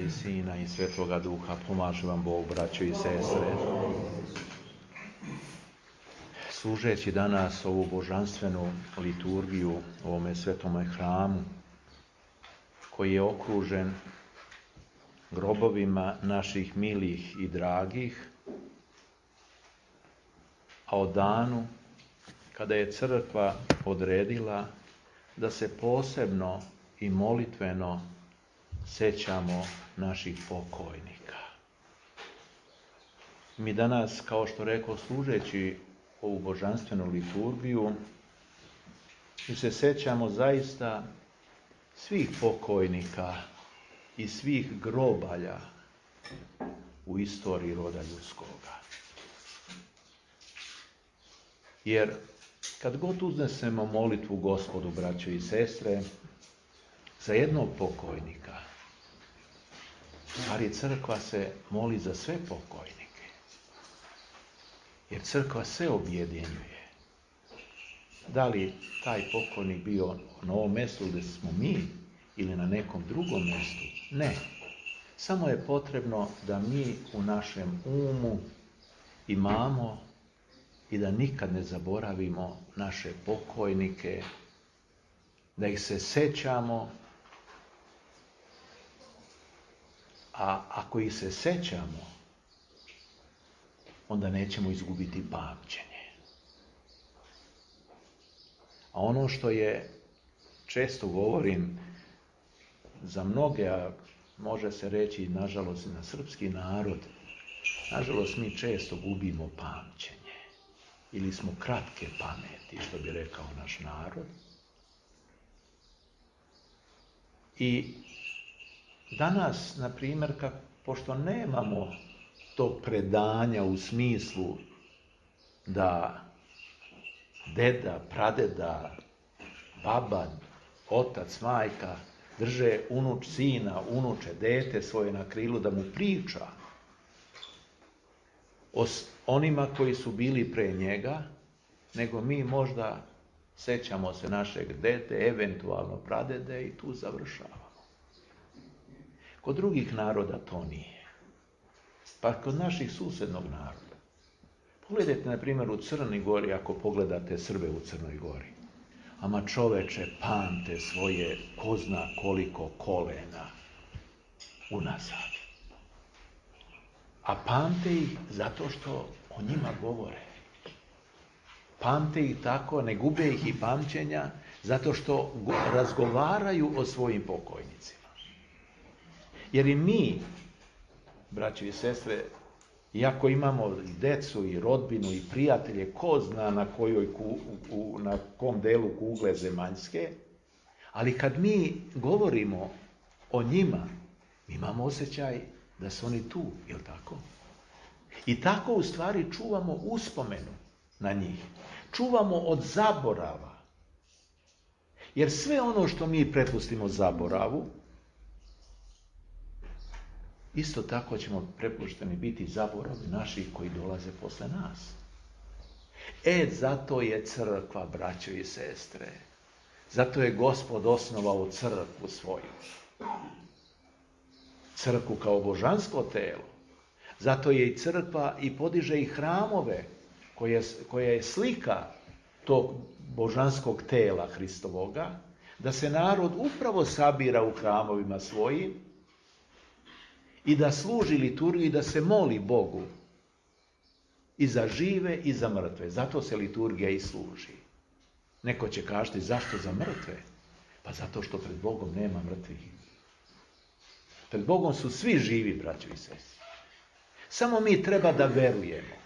i Sina i Svetoga Duha. Pomaže vam Bog, braćo i sestre. Služeći danas ovu božanstvenu liturgiju u ovome svetome hramu, koji je okružen grobovima naših milih i dragih, a o danu kada je crkva odredila da se posebno i molitveno sećamo naših pokojnika. Mi danas, kao što rekao, služeći ovu božanstvenu liturgiju, mi se sećamo zaista svih pokojnika i svih grobalja u istoriji roda ljudskoga. Jer kad god uznesemo molitvu Gospodu, braćo i sestre, za jednog pokojnika, stvari crkva se moli za sve pokojnike. Jer crkva sve objedinjuje. Da li taj pokojnik bio na ovom mjestu gdje smo mi ili na nekom drugom mjestu? Ne. Samo je potrebno da mi u našem umu imamo i da nikad ne zaboravimo naše pokojnike, da ih se sećamo, a ako ih se sećamo, onda nećemo izgubiti pamćenje. A ono što je, često govorim, za mnoge, a može se reći nažalost i na srpski narod, nažalost mi često gubimo pamćenje. Ili smo kratke pameti, što bi rekao naš narod. I danas, na primjer, pošto nemamo tog predanja u smislu da deda, pradeda, baba, otac, majka drže unuč sina, unuče dete svoje na krilu da mu priča o onima koji su bili pre njega, nego mi možda sećamo se našeg dete, eventualno pradede i tu završavamo. Kod drugih naroda to nije. Pa kod naših susednog naroda. Pogledajte, na primjer, u Crnoj Gori, ako pogledate Srbe u Crnoj Gori. Ama čoveče, pamte svoje ko zna koliko kolena unazad. A pamte ih zato što o njima govore. Pamte ih tako, ne gube ih i pamćenja, zato što razgovaraju o svojim pokojnicima. Jer i mi, braći i sestre, iako imamo i decu, i rodbinu, i prijatelje, ko zna na kom delu kugle zemaljske, ali kad mi govorimo o njima, imamo osjećaj da su oni tu, jel tako? I tako u stvari čuvamo uspomenu na njih. Čuvamo od zaborava. Jer sve ono što mi prepustimo zaboravu, isto tako ćemo prepušteni biti zaboravi naših koji dolaze posle nas. Zato je crkva, braćo i sestre. Zato je Gospod osnovao crkvu svoju. Crkvu kao božansko telo. Zato je i crkva i podiže i hramove, koja je slika tog božanskog tela Hristovoga, da se narod upravo sabira u hramovima svojim i da služi liturgiju i da se moli Bogu i za žive i za mrtve. Zato se liturgija i služi. Neko će kazati, zašto za mrtve? Pa zato što pred Bogom nema mrtvih. Pred Bogom su svi živi, braćo i sestre. Samo mi treba da verujemo.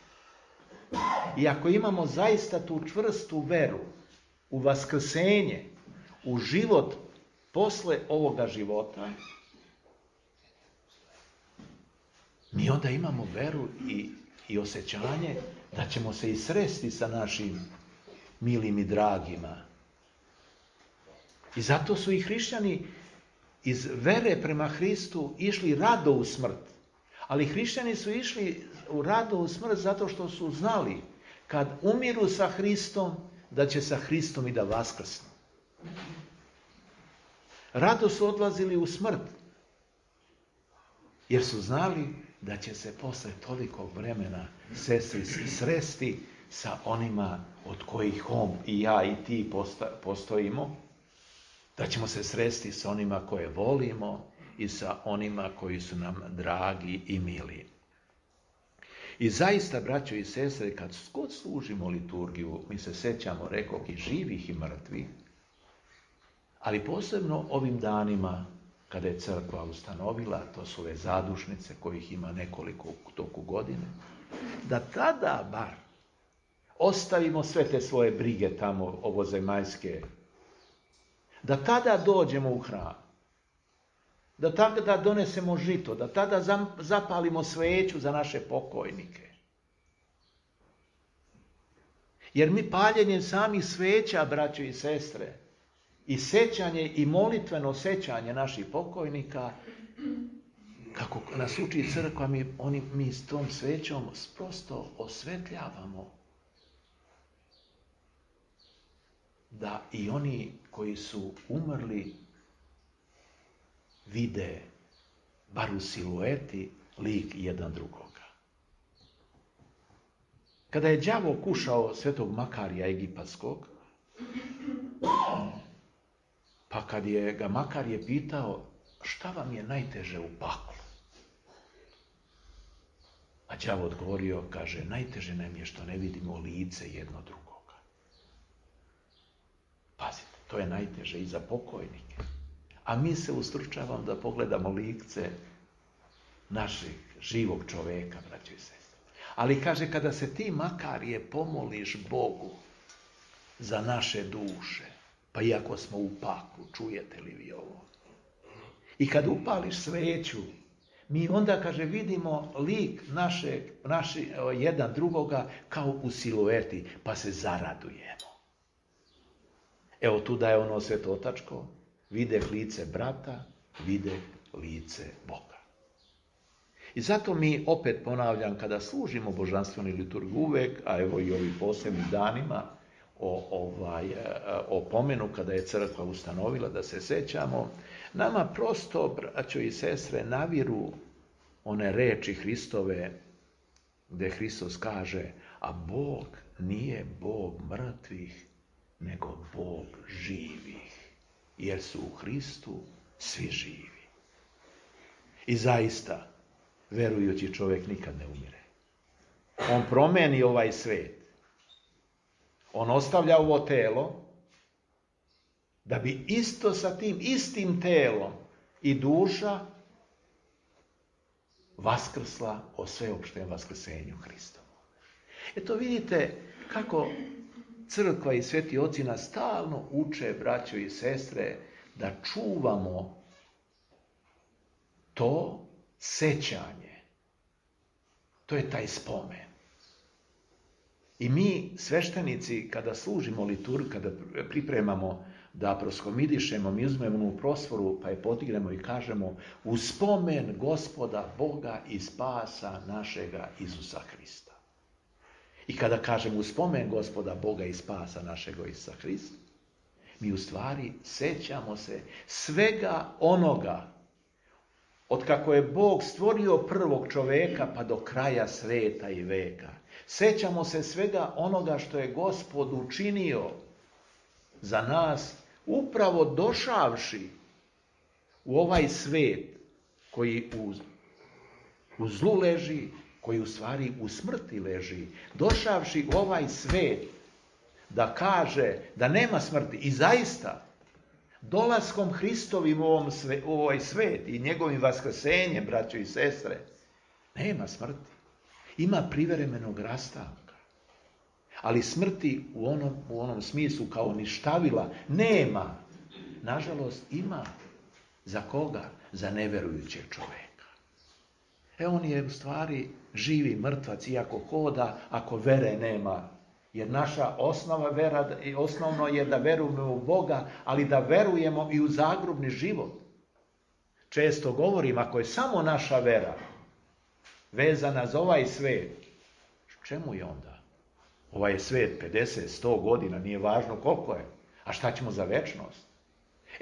I ako imamo zaista tu čvrstu veru u vaskrsenje, u život posle ovoga života, mi onda imamo veru i osjećanje da ćemo se i sresti sa našim milim i dragima. I zato su i hrišćani iz vere prema Hristu išli rado u smrt. Ali hrišćani su išli rado u smrt zato što su znali kad umiru sa Hristom, da će sa Hristom i da vaskrsnu. Rado su odlazili u smrt. Jer su znali da će se posle tolikog vremena sestri sresti sa onima od kojih on i ja i ti postojimo, da ćemo se sresti sa onima koje volimo i sa onima koji su nam dragi i mili. I zaista, braćo i sestre, kad god služimo liturgiju, mi se sećamo, rekoh, i živih i mrtvih, ali posebno ovim danima kada je crkva ustanovila, to su ove zadušnice kojih ima nekoliko u toku godine, da tada bar ostavimo sve te svoje brige tamo ovozemaljske, da tada dođemo u hram, da tada donesemo žito, da tada zapalimo sveću za naše pokojnike. Jer mi paljenjem samih sveća, braćo i sestre, i sećanje i molitveno sećanje naših pokojnika, kako nas uči crkva, mi s tom svećom prosto osvetljavamo da i oni koji su umrli vide, bar u silueti, lik jedan drugoga. Kada je đavo kušao svetog Makarija Egipatskog, pa kad je ga Makarije pitao šta vam je najteže u paklu, a đavo odgovorio, kaže, najteže nam je što ne vidimo lice jedno drugoga. Pazite, to je najteže i za pokojnike. A mi se ustručavamo da pogledamo lice našeg živog čoveka, braćo i sestre. Ali kaže, kada se ti, Makarije, pomoliš Bogu za naše duše, pa iako smo u paklu, čujete li vi ovo? I kad upališ sveću, mi onda, kaže, vidimo lik naši jedan drugoga kao u silueti, pa se zaradujemo. Evo tu da je ono svetotačko, vide lice brata, vide lice Boga. I zato mi, opet ponavljam, kada služimo božanstvenu liturgiju uvek, a evo i ovim posebnim danima, o pomenu kada je crkva ustanovila da se sećamo, nama prosto, braćo i sestre, naviru one reči Hristove, gde Hristos kaže, a Bog nije Bog mrtvih, nego Bog živih, jer su u Hristu svi živi. I zaista, verujući čovjek nikad ne umire. On promeni ovaj svet. On ostavlja ovo telo, da bi isto sa tim istim telom i duša vaskrsla o sveopštem vaskrsenju Hristovu. Eto vidite kako crkva i sveti oci nas stalno uče, braćo i sestre, da čuvamo to sećanje. To je taj spomen. I mi, sveštenici, kada služimo liturgiju, kada pripremamo da proskomidišemo, mi uzmemo onu prosforu, pa je podignemo i kažemo u spomen Gospoda Boga i spasa našega Isusa Hrista. I kada kažemo u spomen Gospoda Boga i spasa našega Isusa Hrista, mi u stvari sećamo se svega onoga od kako je Bog stvorio prvog čoveka pa do kraja sveta i veka. Sećamo se svega onoga što je Gospod učinio za nas, upravo došavši u ovaj svet koji u zlu leži, koji u stvari u smrti leži, došavši u ovaj svet da kaže da nema smrti. I zaista, dolaskom Hristovim u ovaj svet i njegovim vaskrsenjem, braćo i sestre, nema smrti. Ima privremenog rastanka. Ali smrti u onom smislu kao ništavila nema. Nažalost, ima. Za koga? Za neverujućeg čoveka. On je u stvari živi mrtvac, iako hoda, ako vere nema. Jer naša osnovno je da verujemo u Boga, ali da verujemo i u zagrobni život. Često govorim, ako je samo naša vera vezana za ovaj svet, čemu je onda? Ovaj svet 50, 100 godina, nije važno koliko je. A šta ćemo za večnost?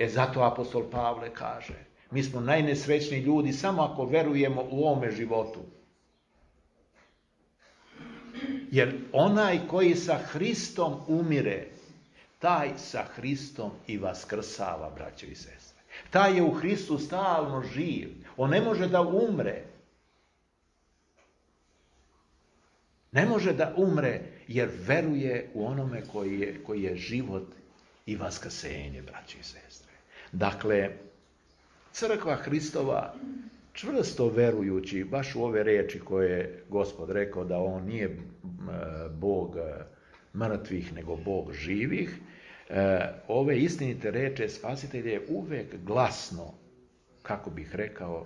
Zato apostol Pavle kaže, Mi smo najnesrećniji ljudi samo ako verujemo u ovome životu. Jer onaj koji sa Hristom umire, taj sa Hristom i vaskrsava, braćo i sestre. Taj je u Hristu stalno živ. On ne može da umre. Ne može da umre jer veruje u onome koji je život i vaskrsenje, braćo i sestre. Dakle, crkva Hristova, čvrsto verujući baš u ove riječi koje je Gospod rekao da on nije Bog mrtvih nego Bog živih, ove istinite riječi Spasitelj je uvek glasno, kako bih rekao,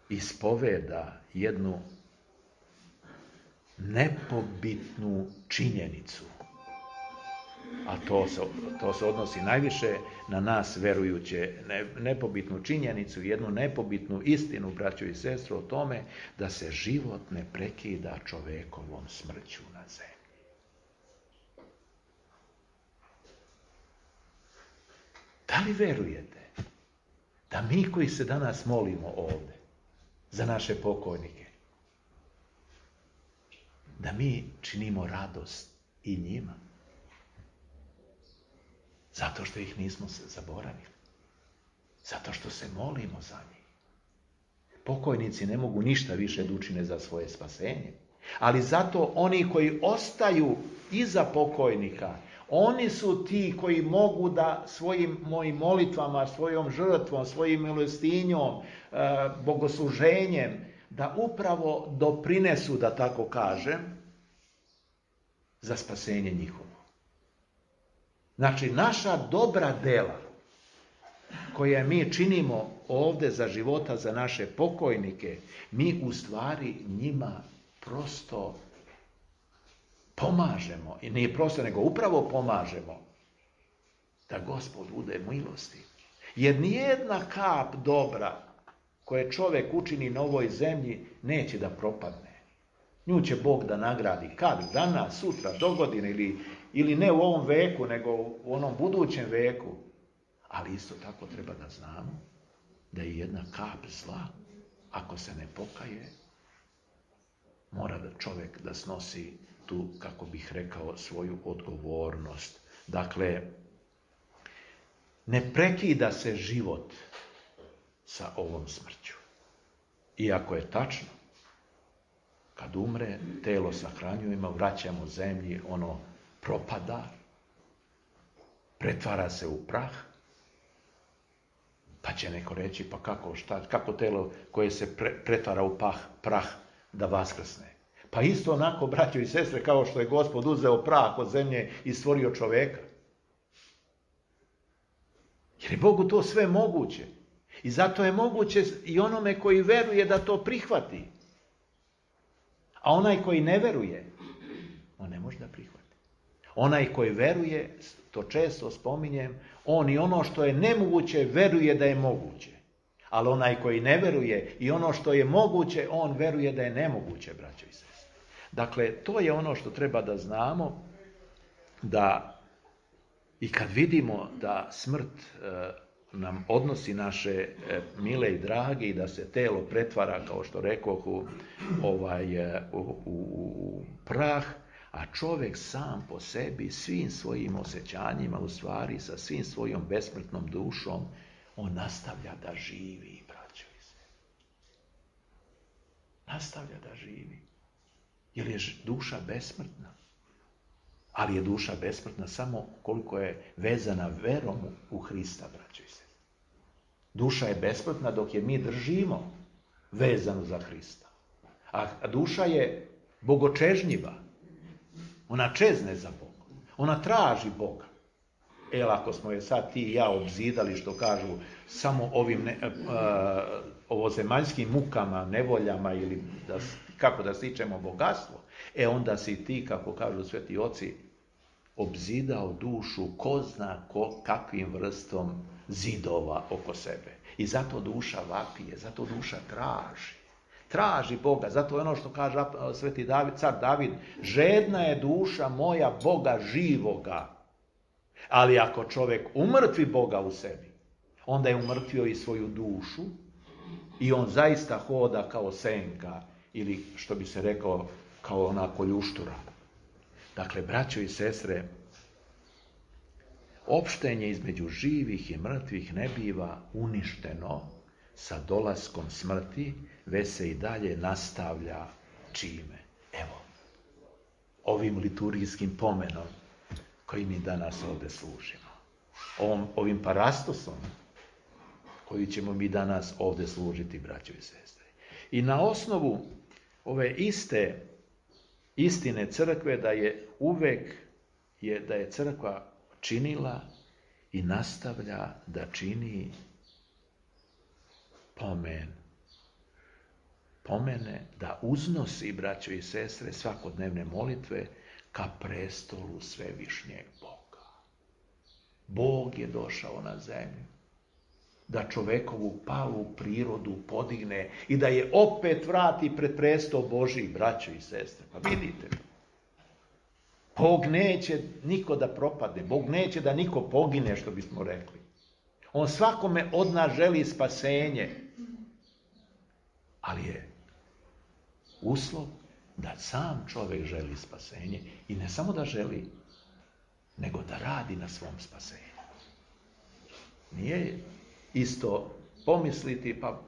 ispoveda jednu nepobitnu činjenicu. A to se odnosi najviše na nas verujuće, nepobitnu činjenicu, jednu nepobitnu istinu, braćo i sestre, o tome da se život ne prekida čovekovom smrću na zemlji. Da li verujete da mi koji se danas molimo ovdje za naše pokojnike, da mi činimo radost i njima? Zato što ih nismo zaboravili. Zato što se molimo za njih. Pokojnici ne mogu ništa više da učine za svoje spasenje. Ali zato oni koji ostaju iza pokojnika, oni su ti koji mogu da svojim mojim molitvama, svojom žrtvom, svojim milostinjom, bogosluženjem, da upravo doprinesu, da tako kažem, za spasenje njihovo. Znači, naša dobra dela koje mi činimo ovdje za života, za naše pokojnike, mi u stvari njima prosto pomažemo. I nije prosto, nego upravo pomažemo da Gospod bude milosti. Jer nijedna kap dobra koje čovjek učini na ovoj zemlji neće da propadne. Nju će Bog da nagradi kad, danas, sutra, dogodine ili ne u ovom veku, nego u onom budućem veku. Ali isto tako treba da znamo da je jedna kap zla, ako se ne pokaje, mora da čovjek da snosi tu, kako bih rekao, svoju odgovornost. Dakle, ne prekida se život sa ovom smrću. Iako je tačno, kad umre, telo sahranjujemo, vraćamo zemlji, ono propada, pretvara se u prah, pa će neko reći, pa kako telo koje se pretvara u prah da vaskrsne? Pa isto onako, braćo i sestre, kao što je Gospod uzeo prah od zemlje i stvorio čoveka. Jer je Bogu to sve moguće. I zato je moguće i onome koji veruje da to prihvati. A onaj koji ne veruje, on ne može da prihvati. Onaj koji veruje, to često spominjem, on i ono što je nemoguće veruje da je moguće. Ali onaj koji ne veruje i ono što je moguće, on veruje da je nemoguće, braćo i sestre. Dakle, to je ono što treba da znamo, da i kad vidimo da smrt nam odnosi naše mile i drage i da se telo pretvara, kao što rekoh, u prah, a čovjek sam po sebi, svim svojim osjećanjima, u stvari sa svim svojom besmrtnom dušom, on nastavlja da živi, braćo i sestre. Nastavlja da živi. Jer je duša besmrtna. Ali je duša besmrtna samo koliko je vezana verom u Hrista, braćo i sestre. Duša je besmrtna dok je mi držimo vezanu za Hrista. A duša je bogočežnjiva. Ona čezne za Boga. Ona traži Boga. Ako smo je sad ti i ja obzidali, što kažu, samo ovim ovozemaljskim mukama, nevoljama ili kako da stičemo bogatstvo, onda si ti, kako kažu sveti oci, obzidao dušu ko zna kakvim vrstom zidova oko sebe. I zato duša vapije, zato duša traži. Traži Boga, zato je ono što kaže sveti car David, žedna je duša moja Boga živoga. Ali ako čovjek umrtvi Boga u sebi, onda je umrtvio i svoju dušu i on zaista hoda kao senka ili, što bi se rekao, kao ona koljuštura. Dakle, braćo i sestre, opštenje između živih i mrtvih ne biva uništeno sa dolaskom smrti, već se i dalje nastavlja čime? Evo, ovim liturgijskim pomenom koji mi danas ovdje služimo. Ovim parastosom koji ćemo mi danas ovdje služiti, braćo i sestre. I na osnovu ove iste istine crkve da je uvek da je crkva činila i nastavlja da čini pomene, da uznosi, braćo i sestre, svakodnevne molitve ka prestolu svevišnjeg Boga. Bog je došao na zemlju da čovekovu palu prirodu podigne i da je opet vrati pred prestol Božji, braćo i sestre. Pa vidite, Bog neće niko da propadne, Bog neće da niko pogine, što bismo rekli. On svakome od nas želi spasenje, ali je uslov da sam čovjek želi spasenje i ne samo da želi, nego da radi na svom spasenju. Nije isto pomisliti, pa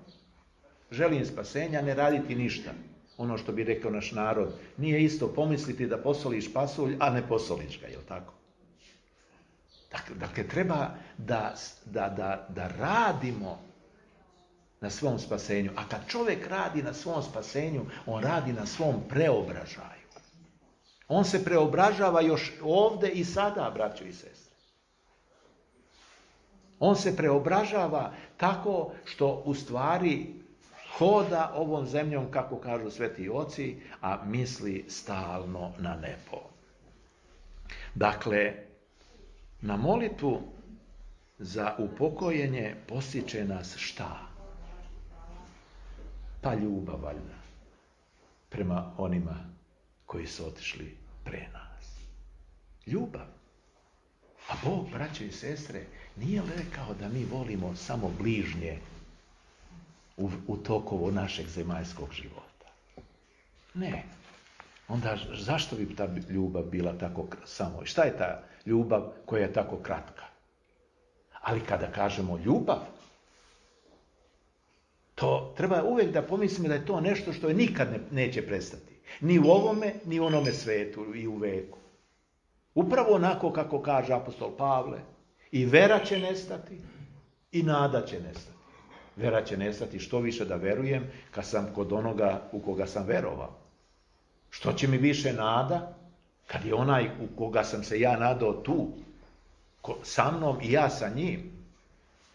želim spasenja, ne raditi ništa. Ono što bi rekao naš narod, nije isto pomisliti da posoliš pasulj, a ne posoliš ga, je li tako? Dakle, treba da radimo na svom spasenju. A kad čovjek radi na svom spasenju, on radi na svom preobražaju. On se preobražava još ovdje i sada, braćo i sestre. On se preobražava tako što u stvari hoda ovom zemljom, kako kažu sveti oci, a misli stalno na nebo. Dakle, na molitvu za upokojenje postiče nas šta? Pa ljubav, valjda, prema onima koji su otišli pre nas. Ljubav. A Bog, braćo i sestre, nije rekao da mi volimo samo bližnje u tokovu našeg zemaljskog života. Ne. Onda zašto bi ta ljubav bila tako samo? Šta je ta ljubav koja je tako kratka? Ali kada kažemo ljubav, to treba uvijek da pomislimo da je to nešto što je nikad neće prestati. Ni u ovome, ni u onome svetu i u veku. Upravo onako kako kaže apostol Pavle, i vera će nestati, i nada će nestati. Vera će nestati, što više da verujem kad sam kod onoga u koga sam verovao. Što će mi više nada kad je onaj u koga sam se ja nadao tu, sa mnom i ja sa njim.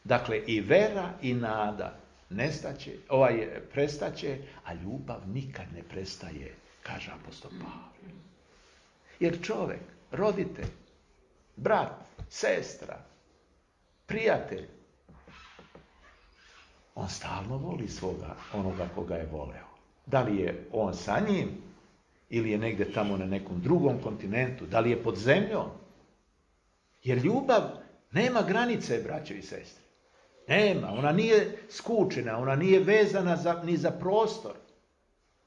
Dakle, i vera i nada prestaće, a ljubav nikad ne prestaje, kaže apostol Pavle. Jer čovjek, roditelj, brat, sestra, prijatelj, on stalno voli onoga koga je voleo. Da li je on sa njim ili je negdje tamo na nekom drugom kontinentu, da li je pod zemljom. Jer ljubav nema granice, braćo i sestre. Nema, ona nije skučena, ona nije vezana ni za prostor.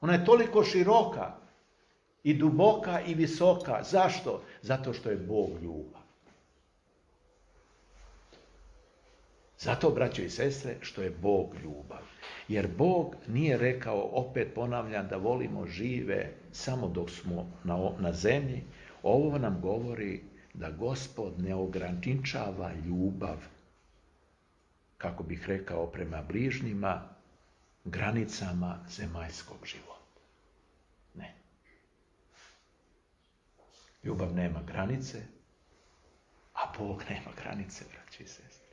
Ona je toliko široka i duboka i visoka. Zašto? Zato što je Bog ljubav. Zato, braćo i sestre, što je Bog ljubav. Jer Bog nije rekao, opet ponavljam, da volimo žive samo dok smo na zemlji. Ovo nam govori da Gospod ne ograničava ljubav, kako bih rekao, prema bližnjima, granicama zemaljskog života. Ne. Ljubav nema granice, a Bog nema granice, braći i sestre.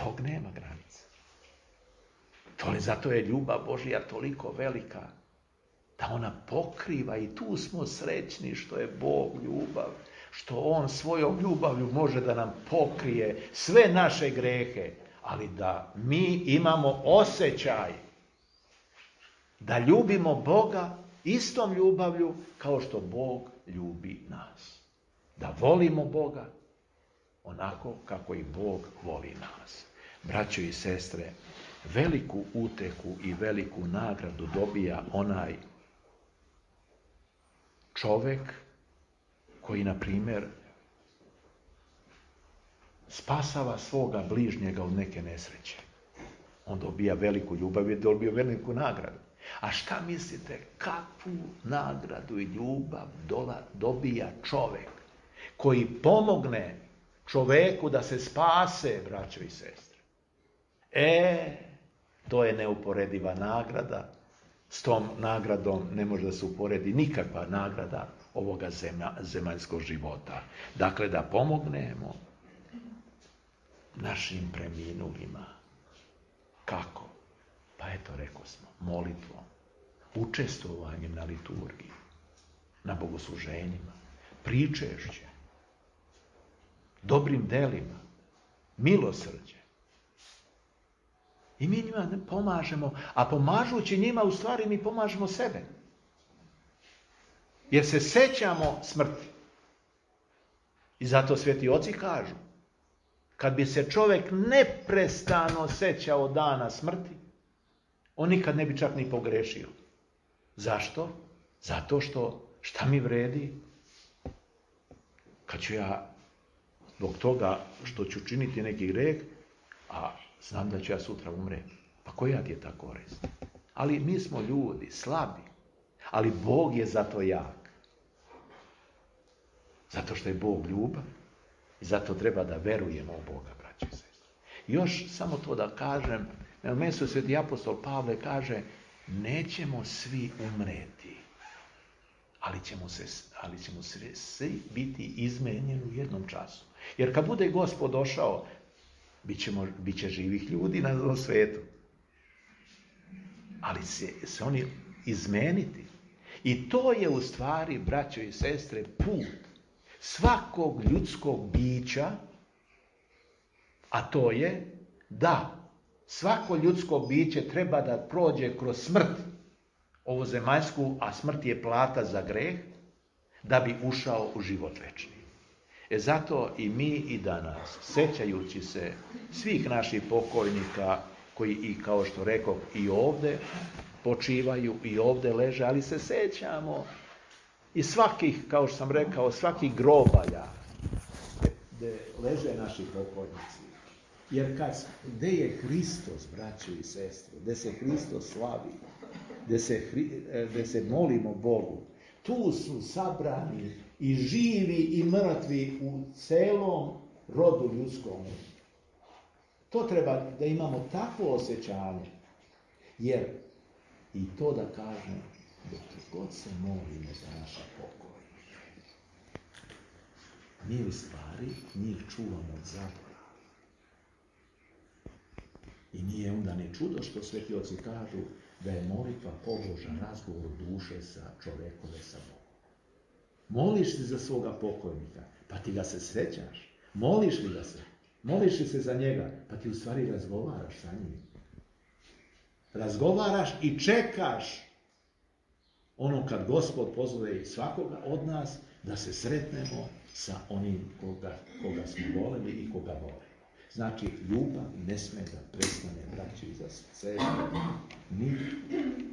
Bog nema granice. Zato je ljubav Božja toliko velika, da ona pokriva, i tu smo srećni što je Bog ljubav, što On svojom ljubavlju može da nam pokrije sve naše grehe, ali da mi imamo osjećaj da ljubimo Boga istom ljubavlju kao što Bog ljubi nas. Da volimo Boga onako kako i Bog voli nas. Braćo i sestre, veliku utehu i veliku nagradu dobija onaj čovek koji, na primjer, spasava svoga bližnjega od neke nesreće. On dobija veliku ljubav i dobija veliku nagradu. A šta mislite, kakvu nagradu i ljubav dobija čovek koji pomogne čoveku da se spase, braćo i sestre? To je neuporediva nagrada. S tom nagradom ne može da se uporedi nikakva nagrada ovoga zemaljskog života. Dakle, da pomognemo našim preminulima. Kako? Pa eto, rekao smo, molitvom, učestvovanjem na liturgiji, na bogosluženjima, pričešćem, dobrim delima, milosrđem. I mi njima pomažemo, a pomažući njima, u stvari mi pomažemo sebe. Jer se sećamo smrti. I zato sveti oci kažu, kad bi se čovjek neprestano sećao dana smrti, on nikad ne bi čak ni pogrešio. Zašto? Zato što, šta mi vredi? Kad ću ja, zbog toga što ću činiti neki greh, a znam da ću ja sutra umreti. Pa koja ti je ta korist? Ali mi smo ljudi, slabi. Ali Bog je zato jak. Zato što je Bog ljubav. I zato treba da verujemo u Boga, braći i sestre. Još samo to da kažem, na mjestu sveti apostol Pavle kaže, nećemo svi umreti, ali ćemo svi biti izmenjeni u jednom času. Jer kad bude Gospod došao, bit će živih ljudi na ovom svijetu. Ali se oni izmeniti. I to je u stvari, braćo i sestre, put svakog ljudskog bića, a to je da svako ljudsko biće treba da prođe kroz smrt, ovu zemaljsku, a smrt je plata za greh, da bi ušao u život večni. Zato i mi i danas, sećajući se svih naših pokojnika, koji i kao što rekao i ovdje počivaju i ovdje leže, ali se sećamo i svakih, kao što sam rekao, svakih grobalja gdje leže naši pokojnici. Jer gdje je Hristos, braćo i sestre, gdje se Hristos slavi, gdje se molimo Bogu, tu su sabrani i živi i mrtvi u celom rodu ljudskom. To treba da imamo takvo osjećanje. Jer, i to da kažem, dok god se molimo za naše pokojnike, mi u stvari njih čuvamo od zaborava. I nije onda ni čudo što sveti oci kažu da je molitva pobožan razgovor duše sa čovekove sa Bogom. Moliš se za svoga pokojnika, pa ti ga se srećaš. Moliš li ga se? Moliš li se za njega, pa ti u stvari razgovaraš sa njim. Razgovaraš i čekaš ono kad Gospod pozove svakoga od nas da se sretnemo sa onim koga smo voleli i koga volimo. Znači, ljubav ne sme da prestane, braći i sestre, ni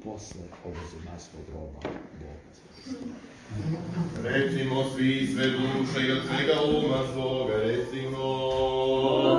posle ovog zemaljskog groba Boga. Recimo svi sve duše i od svega uma svoga,